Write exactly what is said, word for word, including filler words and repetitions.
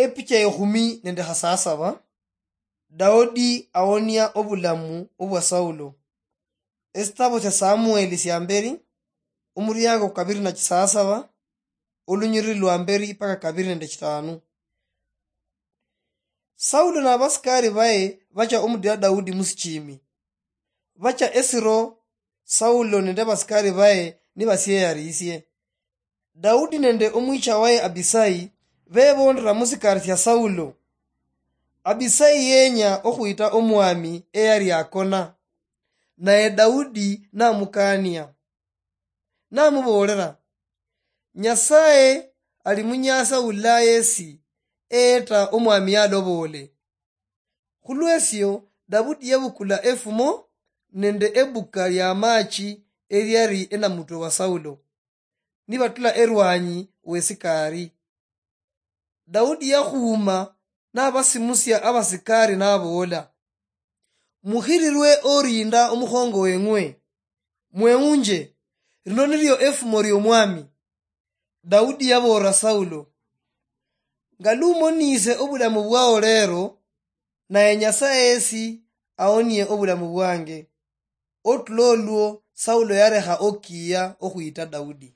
Epicha ekhumi nende khasasaba. Daudi awonia obulamu obwa Saulo. Esitabo sia Samueli sia mberi, omuriango kabiri na chisasaba, olunyiriri lwa mberi paka kabiri nende chitanu. Saulo na abasikari baye bacha omudira Daudi musichimi. Bacha esiro, Saulo nende abasikari baye nibasieyarisie. Daudi nende omwicha waye Abisai bebondera musikari sia Saulo. Abisai yenya okhwita omwami eyali akona, naye Daudi namukania. Namuboolera, "Nyasaye ali munyasa ulaye esi eyeta omwami yaloboole." Khulwesio, Daudi yabukula efumo nende ebuka lia amachi eliali enamutwe wa Saulo, nibatula erwanyi wesikari. Daudi yakhuuma nabasimusia abasikari naboola, "Mukhirirwe orinda omukhongo weng'we, mweunje, lino nilio efumo liomwami." Daudi yaboolera Saulo, "Nga lumonise obulamu bwao lero, naye Nyasaye yesi aonie obulamu bwange." Otulo olwo Saulo yarekha okiya okhwita Daudi.